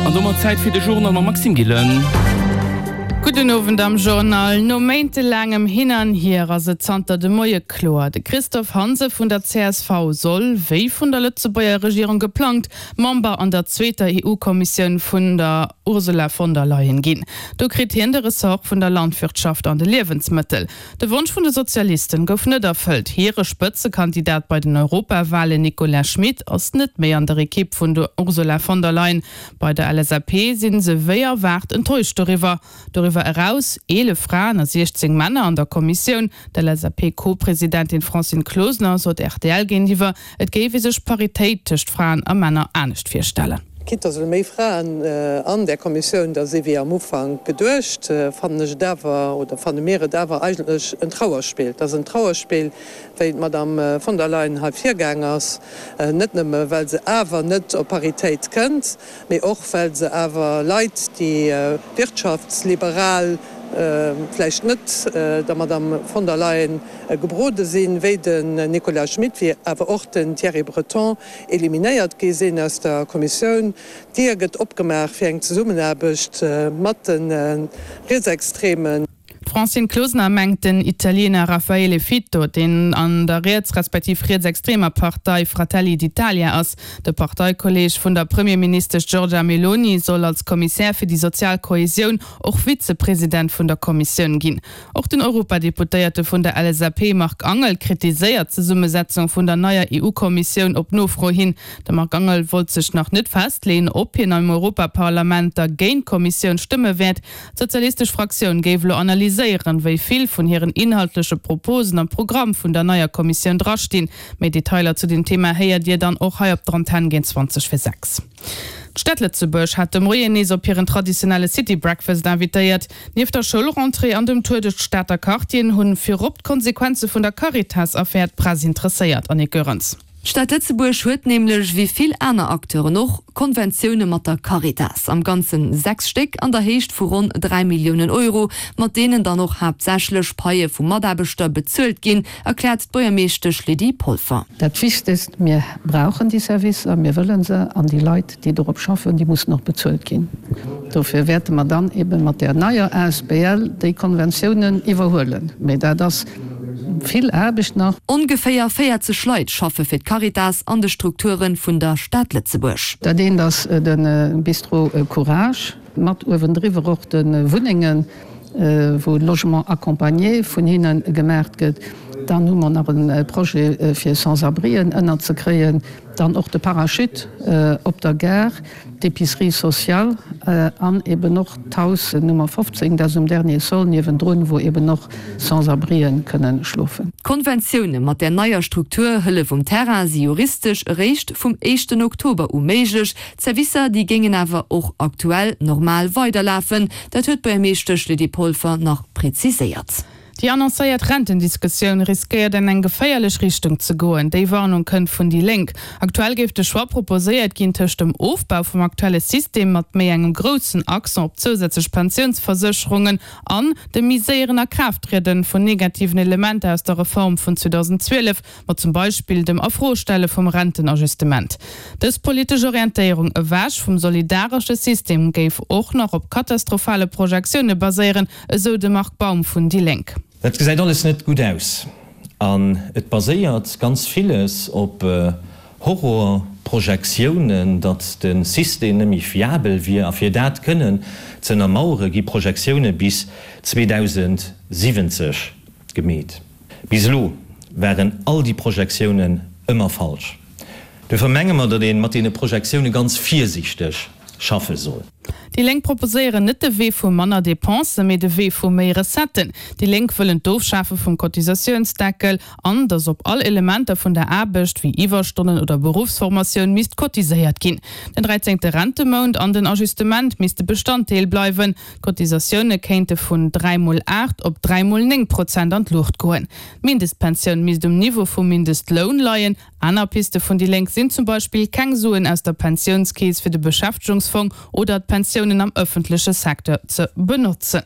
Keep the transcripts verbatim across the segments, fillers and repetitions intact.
An domat Zäit fir de Journal mam Maxime Gillen. Gudden Owend am Journal. No méintelaangem Hin an Hier ass et zanter de Moie kloer, De Christophe Hansen vun der C S V soll, wéi vun der Lëtzebuerger Regierung geplangt, Member an der zweeter E U-Kommissioun vun der Ursula von der Leyen ginn. Do kritt hien de Ressort vun der Landwirtschaft an de Liewensmëttel. De Wonsch vun de Sozialisten gouf net erfëllt. Hire Spëtzekandidat bei den Europawalen, Nicolas Schmit, ass net méi an der Ekipp vun der Ursula von der Leyen. Bei der L S A P sinn se wéi erwaart enttäuscht doriwwer. Doriwwer eraus eelef Fraen a siechzéng Männer an der Kommissioun. D'L S A P-Co-Presidentin Francine Closener sot R T L géintiwwer, et géif ee sech Paritéit tëscht Fraen a Männer anescht virstellen. Quitte dass méi Fraen an der Kommissioun da si wéi am Ufank geduecht, fannen ech et awer oder fanne mir et awer eigentlech en Trauerspill. Et ass en Trauerspill, wéi d'Madame von der Leyen hei virgaang ass, net nëmme well se awer net op Paritéit kënnt, mee och well se awer Leit, déi wirtschaftsliberal vläicht net der Madame von der Leyen gebrode sinn, wéi den Nicolas Schmit, wéi awer och den Thierry Breton, eliminéiert gi sinn aus der Kommissioun. D'Dier gëtt opgemaach fir eng Zesummenaarbecht mat de Rietsextremen. D'Francine Closener mengt den Italiener Raffaele Fitto, deen an der riets respektiv rietsextremer Partei Fratelli d'Italia ass. De Parteikolleeg vun der Premierministesch Giorgia Meloni soll als Kommissär fir déi sozial Kohesioun och Vizepresident vun der Kommissioun ginn. Och den Europadeputéierte vun der L S A P Marc Angel kritiséiert d'Zesummesetzung vun der neier E U-Kommissioun op Nofro hin. De Marc Angel wollt sech nach net festleeën, ob hien am Europaparlament da géint d'Kommissioun stëmme wäert. D'sozialistesch Fraktioun géif elo analyséieren, wéi vill vun hiren inhaltleche Proposen am Programm vun der neier Kommissioun drastinn. Méi Detailer zu dem Thema héiert Dir dann och hei op der Antenn géint zwanzeg vir sechs. D'Stad Lëtzebuerg hat de Moien nees op hiren traditionelle City Breakfast invitéiert. Nieft der Schoulrentrée an dem Tour duerch d'Stater Quartieren hunn virop d'Konsequenze vun der Caritas-Affär d'Press interesséiert. Annick Goerens. D'Stad Lëtzebuerg huet nämlech wéi vill aner Acteuren och Konventioune mat der Caritas, am Ganze sechs Stéck an der Héicht vu ronn dräi Milliounen Euro, mat deenen dann och haaptsächlech Paie vu Mataarbechter bezuelt ginn, erkläert d'Buergermeeschtesch Lydie Polfer. Dat Wichtegst, mir brauchen déi Servicer, mir wëlle se an déi Leit, déi dorop schaffen, déi mussen och bezuelt ginn. Dofir wäerte mer dann ebe mat der neier A S B L déi Konventiounen iwwerhuelen. Mee dat ass vill Aarbecht nach. Ongeféier véierzeg Leit schaffe fir d'Caritas an de Strukture vun der Stad Lëtzebuerg. Dat eent ass de Bistro Courage mat uewendriwwer och de Wunnengen, wou Logement accompagné vun hinne gemaach gëtt. Dann hu mer nach e Projet fir Sans-abrien ënnerzekréien, dann och de Parachute op der Gare, d'Épicerie sociale an eben och d'Haus Nummer fofzéng, dat ass um Dernier Sol niewendrun, wou eben och Sans-abrien kënnen schlofen. D'Konventioune mat der neier Struktur Hëllef um Terrain si juristesch eréischt vum éischten Oktober u méiglech. D'Servicer déi géingen awer och aktuell normal weiderlafen, dat huet d'Buergermeeschtesch Lydie Polfer nach preziséiert. Déi annoncéiert Rentendiskussioun riskéiert an eng geféierlech Richtung ze goen. Déi Warnung kënnt vun déi Lénk. Aktuell géif de Choix proposéiert ginn tëscht dem Ofbau vum aktuelle System mat méi engem groussen Accent op zousätzlech Pensiounsversécherungen an dem méi séieren Akraafttriede vun negativen Elementer aus der Reform vun zweedausendzwielef, mat zum Beispill dem Afrostelle vum Rentenajustement. Dës politesch Orientéierung ewech vum solidaresche System géif och nach op katastrophale Projektioune baséieren, esou de Marc Baum vun déi Lénk. Dat gesäit alles net gutt aus an et baséiert ganz villes op Horrorprojektiounen, datt de System net méi fiabel wier a fir dat kënnen ze ënnermauere gi Projektioune bis zweedausendsiwwenzeg gemeet. Bis elo waren all déi Projektiounen ëmmer falsch. Dofir menge mer, datt ee mat deene Projektioune ganz virsiichteg schaffe soll. Déi Lénk proposéieren net de Wee vu manner Depensen, mee de Wee vu méi Recetten. Déi Lénk wëllen d'Ofschafe vum Cotisatiounsdeckel an datt op all Elementer vun der Aarbecht wéi Iwwerstonnen oder Beruffsformatioun misst cotiséiert ginn. Den dräizéngte Rentemount an den Ajustement misste Bestanddeel bleiwen. D'Cotisatioune kéinte vun dräi mol aacht op dräi mol néng Prozent an d'Luucht goen. D'Mindestpensioun misst um Niveau vum Mindestloun leien. Aner Piste vun déi Lénk sinn zum Beispill keng Suen aus der Pensiounskeess fir de Beschäftegungsfong oder d'Pensiounen am ëffentleche Secteur ze benotzen.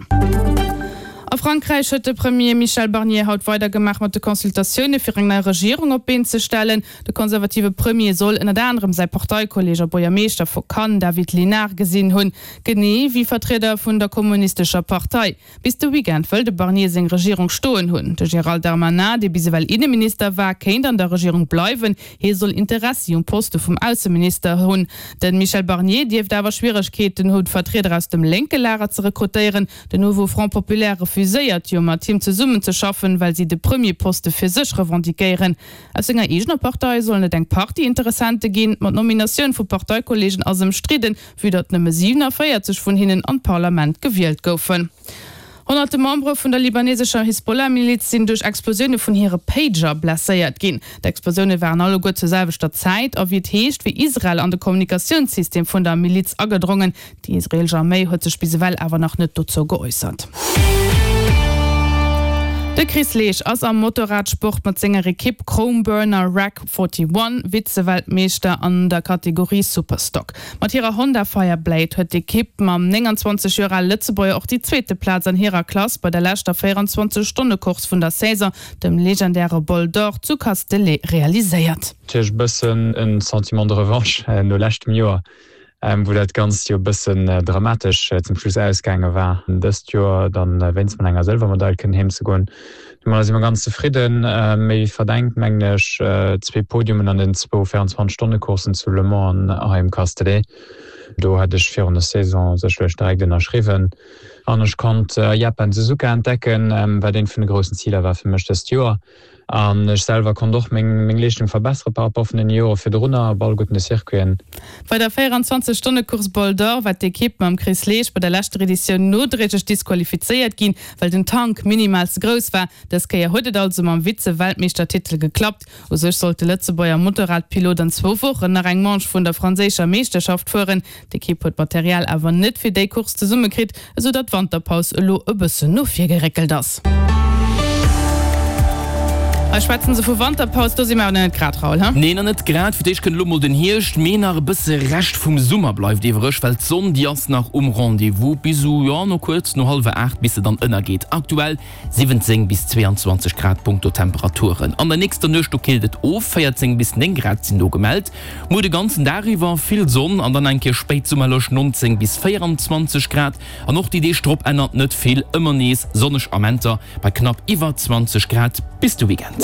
A Frankräich huet de Premier Michel Barnier haut weidergemaach mat de Consultatioune fir eng nei Regierung op d'Been ze stellen. De konservative Premier soll ënnert anerem säi Parteikolleeg a Buergermeeschter vu Cannes David Lisnard gesinn hunn, genee wéi Vertrieder vun der kommunistescher Partei. Bis de Weekend wëll de Barnier seng Regierung stoen hunn. De Gérald Darmanin, dee bis ewell Inneminister war, kéint an der Regierung bleiwen. Hie soll Interessi um Poste vum Ausseminister hunn. De Michel Barnier dierft awer Schwieregkeeten hunn, Vertrieder aus dem lénke Lager ze rekrutéieren. Den Nouveau Front Populaire refuséiert jo mat him zesummenzeschaffen, well si de Premierposte fir sech revendiquéieren. Aus senger eegener Partei sollen et eng Partie Interessente ginn, ma d'Nominatioun vu Parteikolleegen ass ëmstridden, vue datt nëmme siwenavéierzeg vun hinnen an d'Parlament gewielt goufen. Honnerte Membere vun der libanesescher Hisbollah-Miliz sinn duerch Explosioune vun hire Pager blesséiert ginn. D'Explosioune waren alleguer zur selwechter Zäit a wéi et heescht, wier Israel an de Kommunikatiounssystem vun der Miliz agedrongen. Déi israeelesch Arméi huet sech bis ewell awer nach net dozou geäussert. De Chris Leesch ass am Motorradsport mat senger Ekipp Chromeburner Rack einundvierzeg Vize-Weltmeeschter an der Kategorie Superstock. Mat hirer Honda Fireblade huet d'Ekipp mam nénganzwanzeg Joer ale Lëtzebuerger och déi zweete Plaz an hirer Klass bei der leschter véierundzwanzeg Stonne Course vun der Saison, dem legendäre Bol d'Or zu Castellet, realiséiert. Natierlech e bëssen e Sentiment de revanche no leschtem Joer, wou dat Ganzt jo e bëssen dramatesch zum Schluss ausgaange war. Dëst Joer dann wéinst mat enger Sëlwermedail kënnen heem ze goen. Domadder si mer ganz zefridden. Méi verdengt, mengen ech, zwee Podiumen an den zwou véierundzwanzeg-Stonne-Courssen zu Le Mans an hei um Castellet. Do hätt ech virun der Saison sécherlech direkt ënnerschriwwen. An ech konnt Japan Suzuka entdecken, wat eent vun de groussen Ziler war fir mech dëst Joer. An ech selwer konnt och meng meng Leeschtung verbessere par rapport vun den Jore virdrunner op alleguerten de Circuiten. Bei der véierundzwanzeg Stonne Course Bol d'Or war d'Ekipp mam Chris Leesch bei der leschter Editioun nodréiglech disqualifizéiert ginn, well den Tank minimal ze grouss war. Dës Kéier huet et also mam Vize-Weltmeeschtertitel geklappt. U sech sollt de Lëtzebuerger Motorradpilot an zwou Wochen nach eng Manche vun der franséischer Meeschterschaft fueren. D'Ekipp huet d'Material awer net fir déi Course zesummekritt, esou datt d'Wanterpaus elo e bëssen no vir geréckelt ass. Hei schwätzen se vu Wanterpaus, do si mer awer nach net grad, Raoul, he? Nee, nach net grad. Fir d'éischt kënnt elo mol den Hierscht, mee nach e bësse Rescht vum Summer bleift iwwereg, well d'Sonn, déi ass nach um Rendez-vous bis u, jo, no kuerz no hallwer aacht, bis se dann ënnergeet. Aktuell siwwenzéng bis zweeanzwanzeg Grad punkto Temperaturen. An der nächster Nuecht, do killt et of, véierzéng bis néng Grad sinn do gemellt. Muer de ganzen Dag iwwer vill Sonn an dann eng Kéier spéitsummerlech nonzéng bis véieranzwanzeg Grad. An och déi Deeg drop ännert net vill, ëmmer nees sonneg Amenter bei knapp iwwer zwanzeg Grad bis de Weekend.